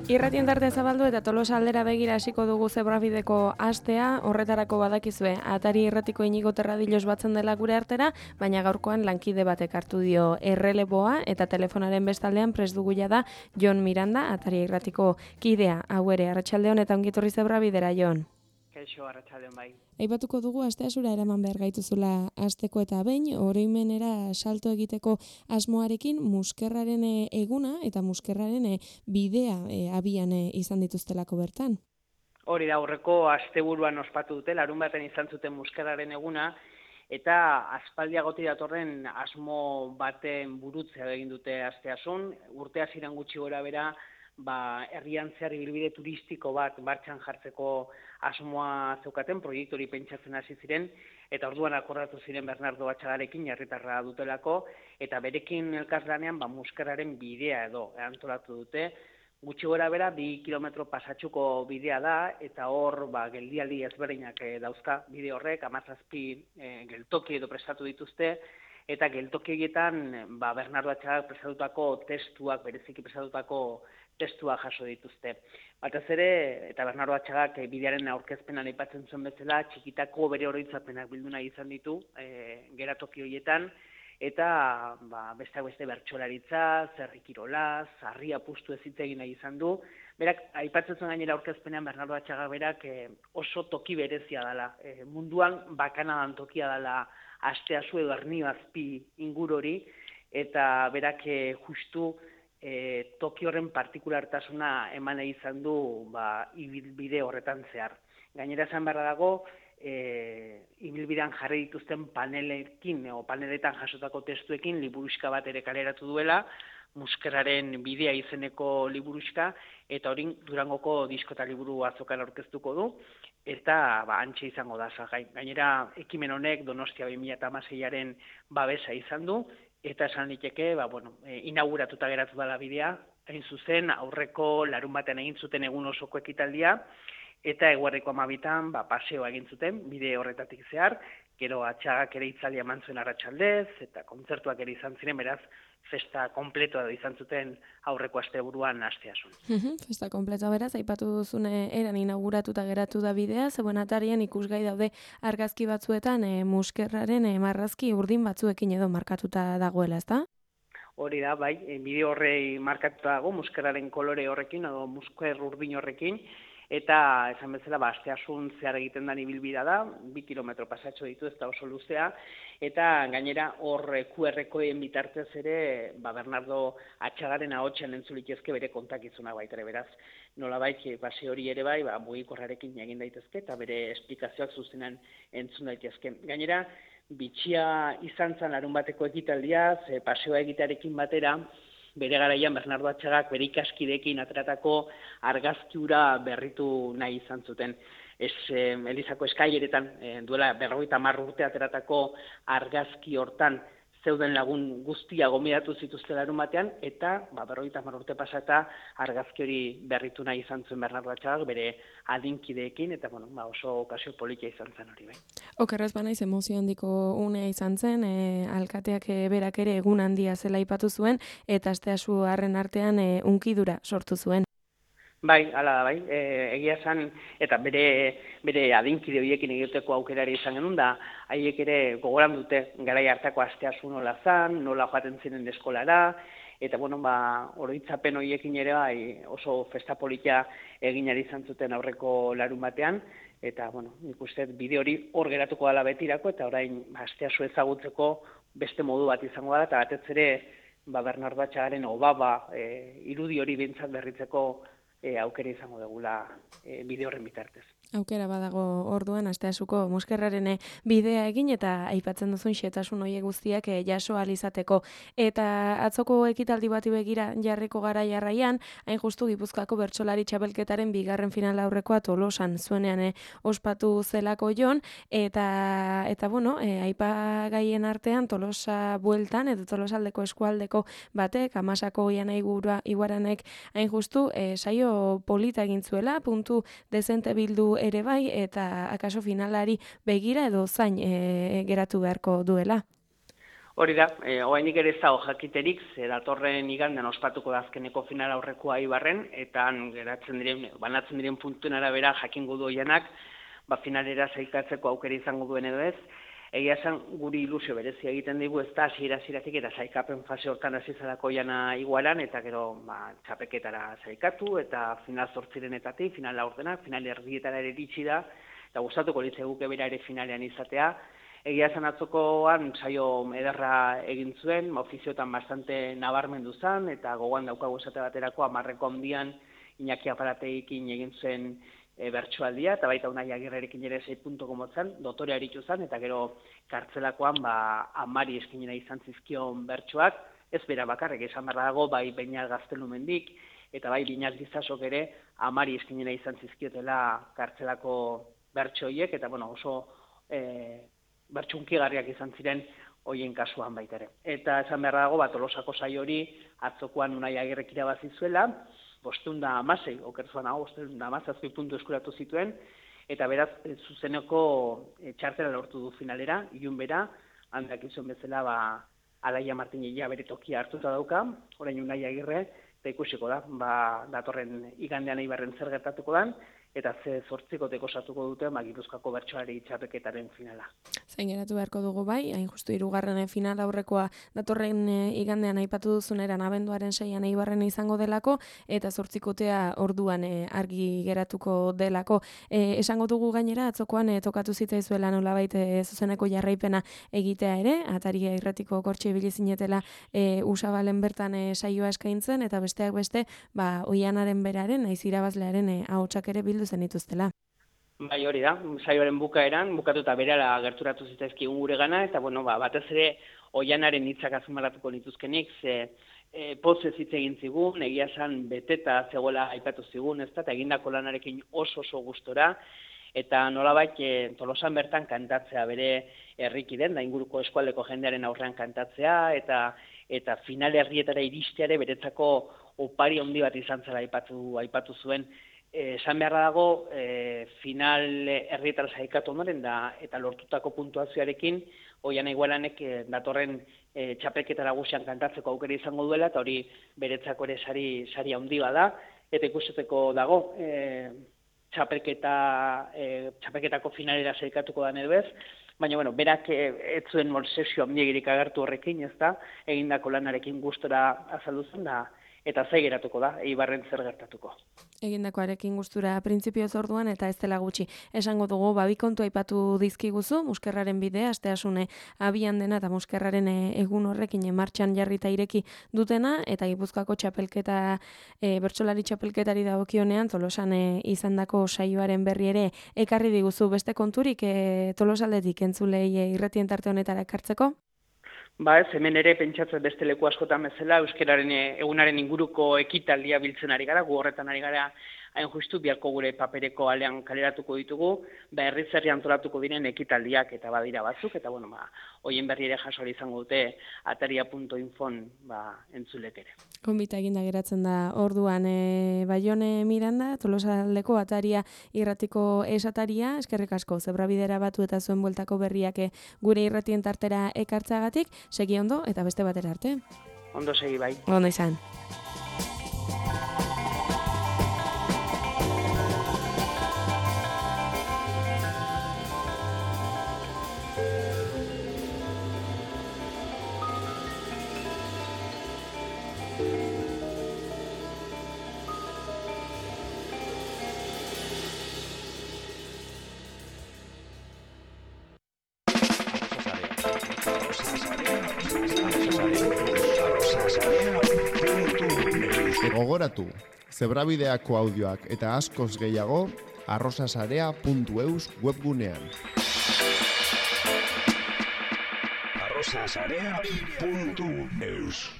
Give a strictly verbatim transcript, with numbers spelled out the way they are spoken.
Irratien tarte zabaldu eta Tolosa aldera begira hasiko dugu zebrabideko astea, horretarako badakizue, atari irratiko Inigo Terradilos batzen dela gure artera, baina gaurkoan lankide batek hartu dio erreleboa eta telefonaren bestaldean prest dugu da Jon Miranda, atari irratiko kidea, hau ere, arratsaldeon eta ongitorri zebrabidera, Jon. Kaixo, arratsaldeon bai. Aipatuko dugu asteazura eraman behar gaituzula asteko eta behin, oroimenera salto egiteko asmoarekin muskerraren eguna eta muskerraren bidea e, abian e, izan dituztelako bertan. Hori da, aurreko asteburuan ospatu dute, larun baten izan zuten muskerraren eguna, eta aspaldiagoti datorren asmo baten burutzea egin dute asteasun, urte hasieran gutxi gora bera, ba, herrian zehar ibilbide turistiko bat martxan jartzeko asmoa zeukaten, proiektu hori pentsatzen hasi ziren, eta orduan akordatu ziren Bernardo Atxagarekin, herritarra dutelako, eta berekin elkarlanean ba, muskerraren bidea edo antolatu dute. Gutxi gora bera, bi kilometro pasatxuko bidea da, eta hor ba, geldialdi ezberdinak e, dauzka bide horrek, hamazazpi e, geltoki edo prestatu dituzte, eta geltoki egietan ba, Bernardo Atxagak prestatutako testuak, bereziki prestatutako testua jaso dituzte. Batez ere, eta Bernardo Atxagak e, bidearen aurkezpenan aipatzen zuen bezala, txikitako bere oroitzapenak bildu nahi izan ditu e, geratoki horietan, eta ba, besteak beste bertsolaritza, zerrikirola, sarri apustu ez hitz egin nahi izan du. Berak, aipatzen zuen gainera aurkezpenean Bernardo Atxagak berak e, oso toki berezia dela. E, munduan bakanadan tokia dela asteazu edo Ernio Azpi ingurori, eta berak e, justu E, toki horren partikulartasuna eman izan du ba, ibilbide horretan zehar. Gainera esan beharra dago, e, ibilbidean jarri dituzten panelekin, o paneletan jasotako testuekin liburuxka bat ere kaleratu duela, muskerraren bidea izeneko liburuxka, eta hori Durangoko disko eta liburu azokan aurkeztuko du, eta ba, antxe izango da zagai. Gainera, ekimen honek Donostia bi mila hamaseiaren babesa izan du, eta esan liteke, ba, bueno, e, inauguratuta geratu dela bidea, hain zuzen, aurreko larun batean egin zuten egun osoko ekitaldia, eta eguerriko hamabitan ba, paseoa egin zuten, bide horretatik zehar, gero Atxagak ere itzaldia eman zuen arratsaldez, eta kontzertuak ere izan ziren, beraz, festa kompletoa da izan zuten aurreko asteburuan asteasun. Festa kompletoa beraz, aipatu duzune eran inauguratuta geratu da bidea, zeuen atarian ikusgai daude argazki batzuetan e, muskerraren e, marrazki urdin batzuekin edo markatuta dagoela, ezta? Hori da, bai, e, bide horrei markatuta dago, muskerraren kolore horrekin, edo musker urdin horrekin, eta esan bezala, ba, asteasun zehar egiten den ibilbidea da, bi kilometro pasatxo ditu, ez da oso luzea, eta gainera hor Q R-koen bitartez ere, ba, Bernardo Atxagaren ahotsen entzulitezke bere kontakizuna baitere, beraz, nolabait base hori ere bai, ba, mugikorrarekin egin daitezke, eta bere esplikazioak zuzenan entzun daitezke. Gainera, bitxia izan zen larun bateko ekitaldia, ze paseoa egitearekin batera, bere garaian Bernardo Atxagak bere ikaskideekin ateratako argazkiura berritu nahi izan zuten. Ez, eh, Elizako eskaileretan eh, duela berrogeita hamar urte ateratako argazki hortan zeuden lagun guztia gomidatu zituzte larun batean, eta ba, berrogeita hamar urte pasata argazki hori berritu nahi izan zuen Bernardo Atxagak bere adinkideekin, eta bueno, ba, oso okazio politia izan zen hori bai. Okerrez banaiz emozio handiko unea izan zen, e, alkateak e, berak ere egun handia zela aipatu zuen, eta asteasu harren artean e, unkidura sortu zuen. Bai, hala da, bai, e, egia esan, eta bere, bere adinkide horiekin egiteko aukerari izan genuen da, haiek ere gogoran dute garai hartako asteasu nola zan, nola joaten ziren eskolara, eta bueno, ba, oroitzapen horiekin ere bai oso festa politia egin ari izan zuten aurreko larun batean, eta bueno, nik uste bide hori hor geratuko dela betirako, eta orain ba, asteasu ezagutzeko beste modu bat izango da, eta batez ere ba, Bernardo Atxagaren obaba e, irudi hori bintzat berritzeko E, aukera izango dugula e, bide horren bitartez. Aukera badago orduan asteasuko muskerraren bidea egin eta aipatzen duzun xetasun hoiek guztiak e, jaso ahal izateko. Eta atzoko ekitaldi bati begira jarriko gara jarraian, hain justu Gipuzkoako bertsolari txapelketaren bigarren final aurrekoa Tolosan zuenean e, ospatu zelako Jon, eta eta bueno, e, aipagaien artean Tolosa bueltan edo Tolosaldeko eskualdeko batek, Amasako Ianai Iguaranek hain justu e, saio polita egin zuela, puntu dezente bildu ere bai, eta akaso finalari begira edo zain e, geratu beharko duela. Hori da, e, oainik ere ez dago jakiterik, ze datorren igandean ospatuko da azkeneko final aurrekoa Eibarren, eta han geratzen diren, banatzen diren puntuen arabera jakingo du oianak, ba finalera sailkatzeko aukera izango duen edo ez. Egia esan guri ilusio berezia egiten digu, ez da hasiera-hasieratik eta sailkapen fase hortan hasi zelako oiana igualan, eta gero ba, txapeketara sailkatu, eta final zortzirenetatik, final laurdenak, final erdietara ere iritsi da, eta gustatuko litzaiguke bera ere finalean izatea. Egia esan atzokoan saio ederra egin zuen, ofiziotan bastante nabarmendu zen, eta gogoan daukagu esate baterako hamarreko handian Iñaki Aparategiekin egin zen e, bertsoaldia, eta baita Unai Agirrerekin ere sei puntuko motzan, dotorea aritu zen, eta gero kartzelakoan ba, amari eskinena izan zizkion bertsoak, ez bera bakarrik esan behar dago, bai Beñat Gaztelumendik, eta bai Biñat Gizasok ere amari eskinena izan zizkiotela kartzelako bertsoiek, eta bueno, oso e, bertsunkigarriak izan ziren hoien kasuan baita ere. Eta esan behar dago, bat Tolosako saio hori atzokoan Unai Agirrek irabazi zuela, bostehun eta hamasei, okerzuan hau, bostehun eta hamazazpi puntu eskuratu zituen, eta beraz, zuzeneko e, txartela lortu du finalera, ilun bera, handak izan bezala, ba, Alaia Martinilla bere tokia hartuta dauka, orain Unai Agirre, eta ikusiko da, ba, datorren igandean Eibarren zer gertatuko dan, eta ze zortzikoteko osatuko dute ba, Gipuzkoako bertsolari txapelketaren finala. Zain geratu beharko dugu bai, hain justu hirugarren final aurrekoa datorren e, igandean aipatu duzuneran abenduaren seian Eibarren izango delako, eta zortzikotea orduan e, argi geratuko delako. E, esango dugu gainera, atzokoan e, tokatu zitzaizuela nolabait e, zuzeneko jarraipena egitea ere, Ataria Irratiko kortxe ibili zinetela e, Usabalen bertan e, saioa eskaintzen, eta besteak beste, ba, Oianaren beraren, naiz irabazlearen e, ahotsak ere bildu zen dituztela. Bai, hori da, saioaren bukaeran, bukatuta berala gerturatu zitzaizkigun gure gana, eta bueno, ba, batez ere Oianaren hitzak azpimarratuko nituzkenik, ze e, pozez hitz egin zigun, egia esan beteta zegoela aipatu zigun, ez da, eta egindako lanarekin oso oso gustora, eta nolabait e, Tolosan bertan kantatzea bere herrikiden, da inguruko eskualdeko jendearen aurrean kantatzea, eta eta final herrietara iristeare beretzako opari handi bat izan zela aipatu, aipatu zuen. Esan beharra dago, e, final herrietara sailkatu ondoren da, eta lortutako puntuazioarekin, Oiana Igualanek e, datorren e, txapelketara guzian kantatzeko aukera izango duela, eta hori beretzako ere sari, sari handi bada, eta ikusteko dago, e, txapelketa, e, txapelketako finalera sailkatuko da edo ez, baina, bueno, berak e, ez zuen molsesio handirik agertu horrekin, ez da, egindako lanarekin gustora azaldu zen da, eta zai geratuko da, Eibarren zer gertatuko. Egindakoarekin gustura printzipioz orduan eta ez dela gutxi. Esango dugu, babi kontu aipatu dizkiguzu, Muskerraren bidea, asteasune abian dena eta Muskerraren egun horrekin martxan jarrita ireki dutena, eta Gipuzkoako txapelketa, e, bertsolari txapelketari dagokionean, Tolosan e, izandako saioaren berri ere ekarri diguzu beste konturik e, Tolosaldetik entzulei e, irratien tarte honetara ekartzeko? Ba ez, hemen ere pentsatzen beste leku askotan bezala, euskararen egunaren inguruko ekitaldia biltzen ari gara, gu horretan ari gara hain justu, biharko gure papereko alean kaleratuko ditugu, ba herriz herri antolatuko diren ekitaldiak eta badira batzuk, eta bueno, ba, hoien berri ere jaso izango dute ataria punto infon ba, entzulek ere. Konbita eginda geratzen da orduan e, Baione Miranda, Tolosaldeko Ataria Irratiko esataria, eskerrik asko, zebrabidera batu eta zuen bueltako berriak gure irratien tartera ekartzagatik, segi ondo eta beste batera arte. Ondo segi bai. Ondo izan. Gogoratu, zebrabideako audioak eta askoz gehiago arrosasarea puntu eus webgunean. arrosasarea puntu eus